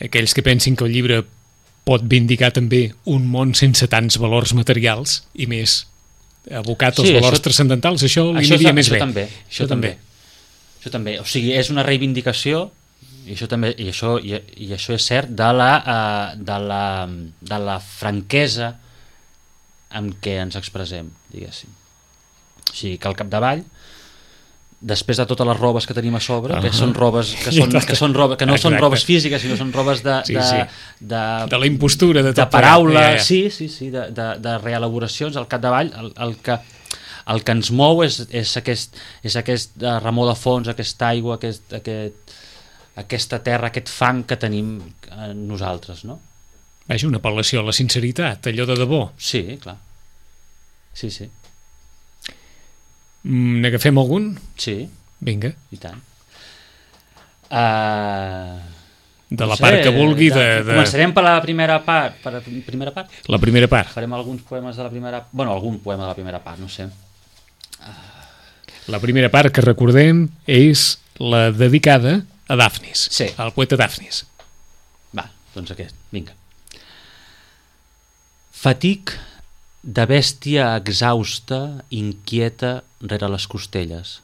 Speaker 2: Aquells que pensin que el llibre pot vindicar també un món sense tants valors materials i més abocat als
Speaker 3: Sí,
Speaker 2: valors
Speaker 3: això-
Speaker 2: transcendentals, això li
Speaker 3: Això,
Speaker 2: aniria més
Speaker 3: això
Speaker 2: bé.
Speaker 3: també, això també. Això també. O sigui, és una reivindicació i això també i això i, i això és cert de la uh, de la de la franquesa amb què ens expressem, diguéssim. O sigui, que al capdavall, després de totes les robes que tenim a sobre, uh -huh. que són robes que són que són robes que no
Speaker 2: Exacte.
Speaker 3: són robes físiques, sinó són robes de
Speaker 2: Sí,
Speaker 3: de,
Speaker 2: sí.
Speaker 3: de
Speaker 2: De la impostura, de
Speaker 3: de
Speaker 2: tot
Speaker 3: paraula,
Speaker 2: plegat. Ja, ja.
Speaker 3: sí, sí, sí, de, de, de reelaboracions al capdavall, el, el que el que ens mou és, és aquest, és aquest uh, remor de fons, aquesta aigua, aquest, aquest, aquesta terra, aquest fang que tenim uh, nosaltres, no?
Speaker 2: Vaja, una apel·lació a la sinceritat, allò de debò.
Speaker 3: Sí, clar. Sí, sí.
Speaker 2: Mm, N'agafem algun?
Speaker 3: Sí,
Speaker 2: Vinga.
Speaker 3: i tant. Uh,
Speaker 2: De
Speaker 3: no
Speaker 2: la
Speaker 3: sé,
Speaker 2: part que vulgui de... de...
Speaker 3: Començarem per la primera part. Per la primera part?
Speaker 2: La primera part.
Speaker 3: Farem alguns poemes de la primera... Bueno, algun poema de la primera part, no sé.
Speaker 2: La primera part que recordem és la dedicada a Dafnis,
Speaker 3: Sí.
Speaker 2: al poeta Dafnis.
Speaker 3: Va, doncs aquest, vinga. Fatic de bèstia exhausta, inquieta rere les costelles.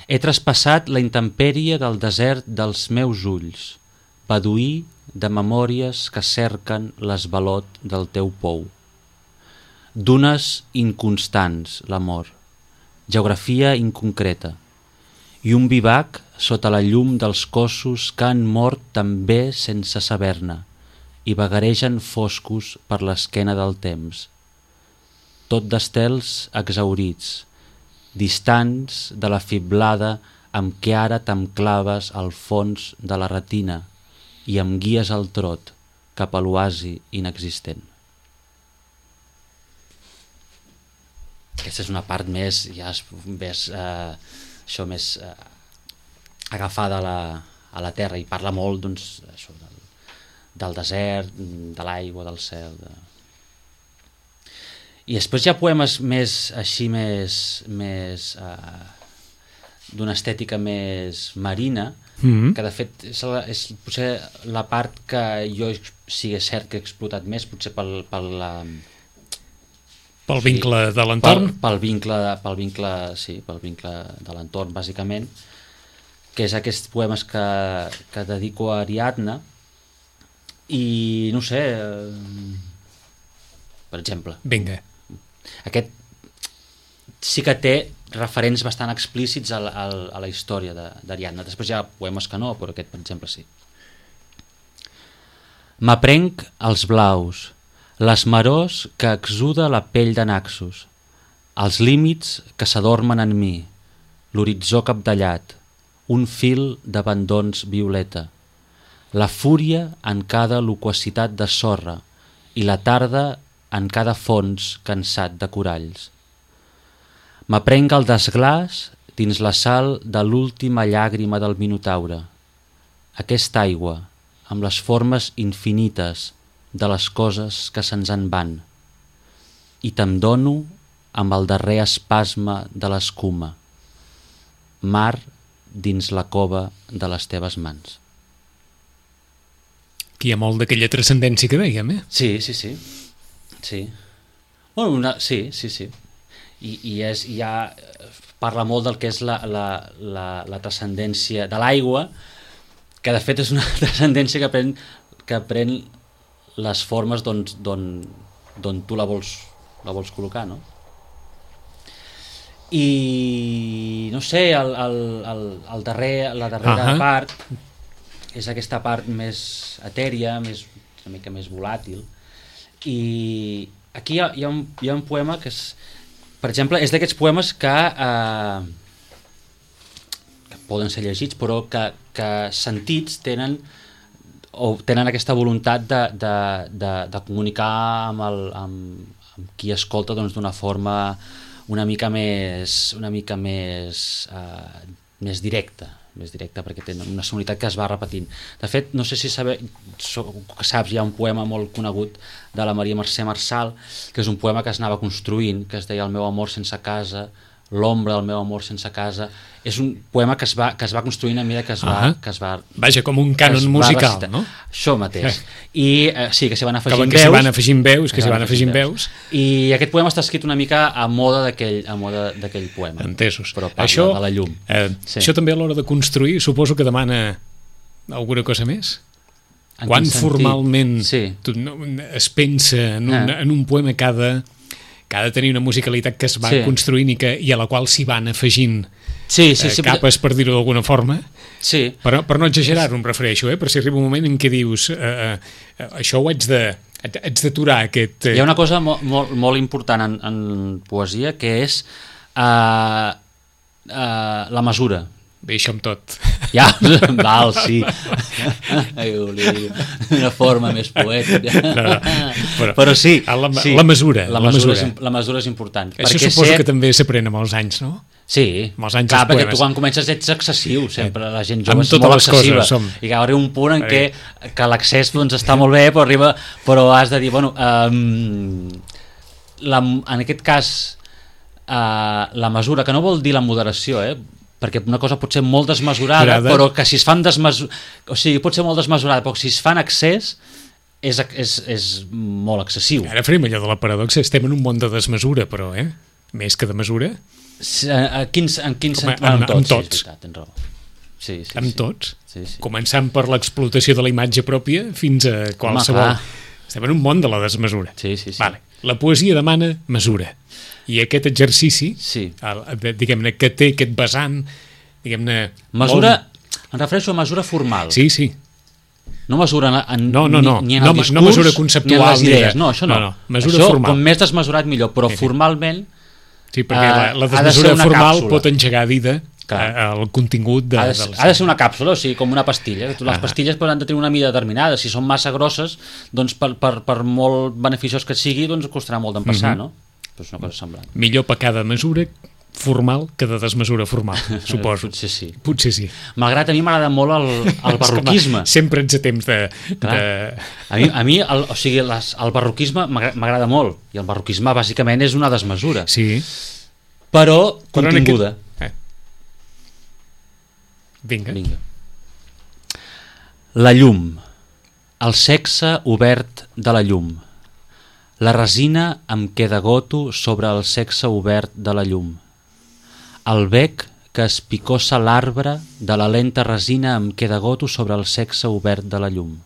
Speaker 3: He traspassat la intempèrie del desert dels meus ulls, beduí de memòries que cerquen l'esvalot del teu pou. Dunes inconstants, l'amor, geografia inconcreta, i un vivac sota la llum dels cossos que han mort també sense saber-ne i vagaregen foscos per l'esquena del temps. Tot d'estels exhaurits, distants de la fiblada amb què ara t'enclaves al fons de la retina i em guies al trot cap a l'oasi inexistent. Aquesta és una part més, ja es, més, eh, això més eh, agafada a la, a la terra i parla molt doncs, això, del, del desert, de l'aigua, del cel. De... I després hi ha poemes més així, més, més eh, d'una estètica més marina,
Speaker 2: Mm-hmm.
Speaker 3: que de fet és, la, és potser la part que jo, sí, és cert que he explotat més, potser pel, pel, la,
Speaker 2: Pel
Speaker 3: sí,
Speaker 2: vincle de l'entorn?
Speaker 3: Pel, pel, vincle, pel, vincle, sí, pel vincle de l'entorn, bàsicament, que és aquests poemes que, que dedico a Ariadna, i no sé, eh, per exemple,
Speaker 2: Vinga.
Speaker 3: aquest sí que té referents bastant explícits a la, a la, a la història d'Ariadna. Després hi ha poemes que no, però aquest, per exemple, sí. M'aprenc els blaus, les marors que exuda la pell de Naxos, els límits que s'adormen en mi, l'horitzó capdellat, un fil d'abandons violeta, la fúria en cada loquacitat de sorra i la tarda en cada fons cansat de coralls. M'aprenc el desglàs dins la sal de l'última llàgrima del Minotaure, aquesta aigua amb les formes infinites de les coses que se'ns en van, i te'm dono amb el darrer espasme de l'escuma, mar dins la cova de les teves mans.
Speaker 2: Aquí hi ha molt d'aquella transcendència que dèiem, eh?
Speaker 3: Sí, sí, sí. Sí. Bueno, una, sí, sí, sí. I, i és, hi ha, parla molt del que és la, la, la, la transcendència de l'aigua, que de fet és una transcendència que pren, que pren les formes d'on d'on tu la vols, la vols col·locar, no? I no sé, el, el, el, el darrer, la darrera uh-huh. part és aquesta part més etèria, més, una mica més volàtil, i aquí hi ha, hi ha, un, hi ha un poema que és, per exemple, és d'aquests poemes que, eh, que poden ser llegits, però que, que sentits tenen o tenen aquesta voluntat de, de, de, de comunicar amb, el, amb, amb qui escolta doncs, d'una forma una mica més una mica més eh, més directa, més directa perquè té una sonoritat que es va repetint. De fet, no sé si sabe, so, saps, hi ha un poema molt conegut de la Maria Mercè Marçal, que és un poema que es anava construint, que es deia El meu amor sense casa, l'ombra del meu amor sense casa. És un poema que es va, que es va construint a mesura que es va... Uh-huh. que es va
Speaker 2: Vaja, com un cànon musical,
Speaker 3: recitar.
Speaker 2: No?
Speaker 3: Això mateix. I eh, sí, que s'hi van afegint
Speaker 2: que
Speaker 3: veus.
Speaker 2: Que s'hi van afegint veus, que s'hi van afegint veus.
Speaker 3: I aquest poema està escrit una mica a moda d'aquell a moda d'aquell poema.
Speaker 2: Entesos.
Speaker 3: Però parla
Speaker 2: això,
Speaker 3: de la llum.
Speaker 2: Eh, sí. Això també a l'hora de construir, suposo que demana alguna cosa més? En Quan formalment sí. tu, no, es pensa en un, ah. en un poema que ha de, que ha de tenir una musicalitat que es va sí. construint i, que, i a la qual s'hi van afegint sí, sí, sí, eh, capes, per dir-ho d'alguna forma.
Speaker 3: Sí.
Speaker 2: Per, per no exagerar-ho, em refereixo, eh? Per si arriba un moment en què dius eh, eh, això ho haig de haig d'aturar aquest... Eh...
Speaker 3: Hi ha una cosa molt, molt, molt important en, en poesia, que és uh, uh, la mesura.
Speaker 2: Bé, això amb tot.
Speaker 3: Ja, val, sí. Una forma més poètica. No, no, però, però sí,
Speaker 2: la,
Speaker 3: sí.
Speaker 2: La mesura.
Speaker 3: La,
Speaker 2: la,
Speaker 3: mesura,
Speaker 2: mesura.
Speaker 3: És, la mesura és important.
Speaker 2: Això suposo ser... que també s'aprèn amb els anys, no?
Speaker 3: Sí,
Speaker 2: amb els anys
Speaker 3: clar, perquè
Speaker 2: poemes.
Speaker 3: Tu quan comences ets excessiu, sempre la gent jove
Speaker 2: amb
Speaker 3: és molt excessiva.
Speaker 2: Som...
Speaker 3: I que arriba un punt en què que l'accés doncs, està molt bé, però, arriba, però has de dir, bueno, um, la, en aquest cas, uh, la mesura, que no vol dir la moderació, eh? Perquè una cosa pot ser molt desmesurada, Grada. Però que si es fan desmesurada, o sigui, pot ser molt desmesurada, però si es fa en excés és, és, és molt excessiu.
Speaker 2: Ara farem allò de la paradoxa, estem en un món de desmesura, però, eh? Més que de mesura.
Speaker 3: En quins, en quins
Speaker 2: Com, en, en,
Speaker 3: tots,
Speaker 2: amb tots.
Speaker 3: Sí, tens raó. Sí, sí,
Speaker 2: amb
Speaker 3: sí.
Speaker 2: tots.
Speaker 3: Sí, sí.
Speaker 2: Començant per l'explotació de la imatge pròpia fins a qualsevol... Home, estem en un món de la desmesura.
Speaker 3: Sí, sí, sí.
Speaker 2: Vale. La poesia demana mesura. I aquest exercici,
Speaker 3: sí.
Speaker 2: el, diguem-ne, que té aquest vessant, diguem-ne...
Speaker 3: Mesura, molt... em refereixo a mesura formal.
Speaker 2: Sí, sí.
Speaker 3: No mesura en,
Speaker 2: no, no, no.
Speaker 3: ni, ni en el
Speaker 2: no,
Speaker 3: discurs,
Speaker 2: no mesura conceptual,
Speaker 3: ni en les idees. No, això no.
Speaker 2: no, no. Mesura
Speaker 3: això,
Speaker 2: formal.
Speaker 3: Com més desmesurat millor, però sí, sí. formalment...
Speaker 2: Sí, perquè uh, la, la desmesura
Speaker 3: de
Speaker 2: formal
Speaker 3: càpsula.
Speaker 2: Pot engegar a dida el contingut de...
Speaker 3: Ha de, ha de ser una càpsula, o sigui, com una pastilla. Les ah. pastilles han de tenir una mida determinada. Si són massa grosses, doncs per, per, per molt beneficiós que sigui, doncs costarà molt d'empassar, mm -hmm. no? Però és una cosa semblant.
Speaker 2: Millor pecar de mesura formal que de desmesura formal, suposo.
Speaker 3: Potser sí.
Speaker 2: Potser sí.
Speaker 3: Malgrat a mi m'agrada molt el, el barroquisme.
Speaker 2: Sempre ets a temps de... de...
Speaker 3: A mi, a mi el, o sigui, les, el barroquisme m'agrada molt, i el barroquisme bàsicament és una desmesura.
Speaker 2: Sí.
Speaker 3: Però continguda.
Speaker 2: Aquest... Eh. Vinga.
Speaker 3: Vinga. La llum. El sexe obert de la llum. La resina em queda goto sobre el sexe obert de la llum. El bec que es picossa l'arbre de la lenta resina em queda goto sobre el sexe obert de la llum.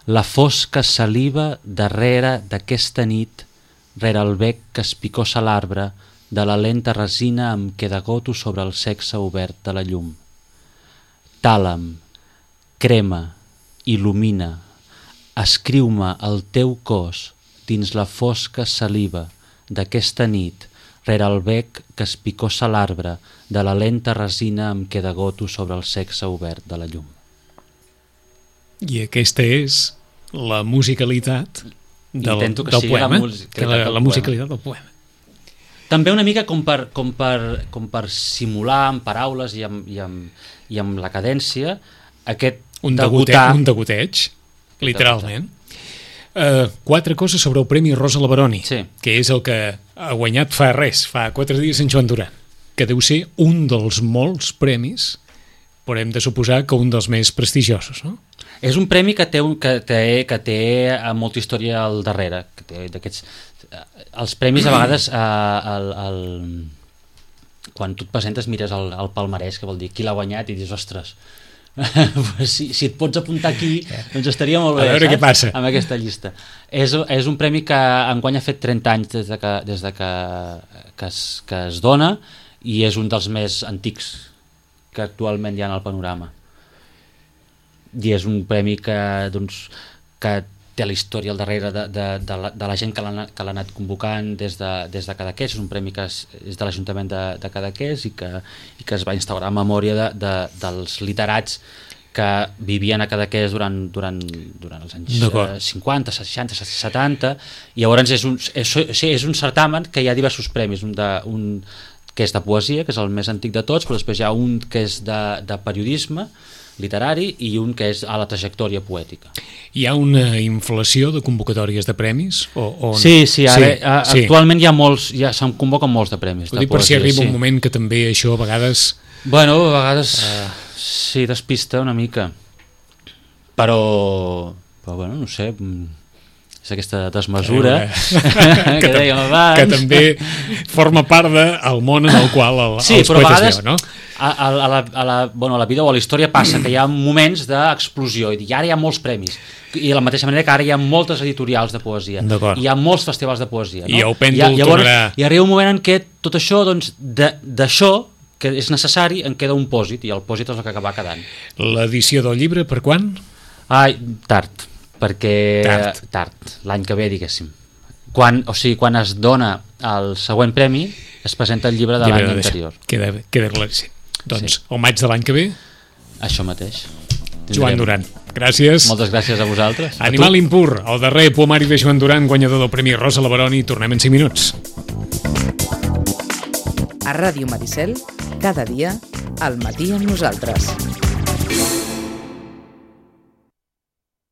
Speaker 3: La fosca saliva darrere d'aquesta nit, rere el bec que es picossa l'arbre de la lenta resina em queda goto sobre el sexe obert de la llum. Tàlam, crema, il·lumina, escriu-me el teu cos dins la fosca saliva d'aquesta nit, rere el bec que es picossa l'arbre de la lenta resina em queda goto sobre el sexe obert de la llum.
Speaker 2: I aquesta és la musicalitat del,
Speaker 3: Intento que
Speaker 2: del
Speaker 3: sigui
Speaker 2: poema.
Speaker 3: la musicalitat,
Speaker 2: que la,
Speaker 3: del,
Speaker 2: la musicalitat del poema.
Speaker 3: També una mica com per, com per, com per simular amb paraules i amb, i amb, i amb la cadència aquest
Speaker 2: un
Speaker 3: degotar...
Speaker 2: Degoteig, un degoteig, literalment. Uh, quatre coses sobre el Premi Rosa Leveroni,
Speaker 3: sí.
Speaker 2: que és el que ha guanyat fa res, fa quatre dies en Joan Duran, que deu ser un dels molts premis, però hem de suposar que un dels més prestigiosos, no?
Speaker 3: És un premi que té, un, que té, que té molta història al darrere, que té d'aquests... Els premis a vegades, eh, el, el, quan tu et presentes mires el, el palmarès, que vol dir qui l'ha guanyat, i dius, ostres, si, si et pots apuntar aquí, doncs estaria molt bé,
Speaker 2: a veure, saps? Què passa
Speaker 3: amb aquesta llista. És, és un premi que enguany ha fet trenta anys des de que, des de que, que, es, que es dona, i és un dels més antics que actualment hi ha en el panorama. I és un premi que, doncs, que té la història al darrere de, de, de, la, de la gent que l'ha que l'ha anat convocant des de, des de Cadaqués. És un premi que és, és de l'Ajuntament de, de Cadaqués i que, i que es va instaurar en memòria de, de, dels literats que vivien a Cadaqués durant, durant, durant els anys eh, cinquanta, seixanta, setanta, i llavors és un, és, és un certamen que hi ha diversos premis, un, de, un que és de poesia, que és el més antic de tots, però després hi ha un que és de, de periodisme literari i un que és a la trajectòria poètica.
Speaker 2: Hi ha una inflació de convocatòries de premis? O, o no?
Speaker 3: Sí, sí, ara,
Speaker 2: sí,
Speaker 3: a,
Speaker 2: sí.
Speaker 3: Actualment hi ha molts, ja se'n convoquen molts de premis.
Speaker 2: Ho
Speaker 3: de
Speaker 2: dic per
Speaker 3: poesia,
Speaker 2: si arriba
Speaker 3: sí.
Speaker 2: un moment que també això a vegades...
Speaker 3: Bueno, a vegades uh, sí, despista una mica, però, però bueno, no sé, és aquesta desmesura que, que dèiem abans.
Speaker 2: Que també forma part del món en el qual el,
Speaker 3: sí,
Speaker 2: els
Speaker 3: però a
Speaker 2: poetes
Speaker 3: vegades,
Speaker 2: viuen, no?
Speaker 3: A, a, a, la, a, la, bueno, a la vida o a la història passa que hi ha moments d'explosió i ara hi ha molts premis, i de la mateixa manera que ara hi ha moltes editorials de poesia, hi ha molts festivals de poesia, no?
Speaker 2: I el pèndol tornarà...
Speaker 3: I arriba un moment en què tot això, doncs, d'això que és necessari, en queda un pòsit, i el pòsit és el que acaba quedant.
Speaker 2: L'edició del llibre, per quan?
Speaker 3: Ai, tard, perquè...
Speaker 2: Tard.
Speaker 3: Tard, l'any que ve, diguéssim. Quan, o sigui, quan es dona el següent premi, es presenta el llibre de l'any anterior.
Speaker 2: Queda, queda claríssim. Doncs,
Speaker 3: sí.
Speaker 2: El maig de l'any que ve...
Speaker 3: Això mateix. Tindrem.
Speaker 2: Joan Duran, gràcies.
Speaker 3: Moltes gràcies a vosaltres.
Speaker 2: Animal Impur, el darrer poemari de Joan Duran, guanyador del Premi Rosa Leveroni. Tornem en cinc minuts.
Speaker 1: A Ràdio Maricel, cada dia, al matí amb nosaltres.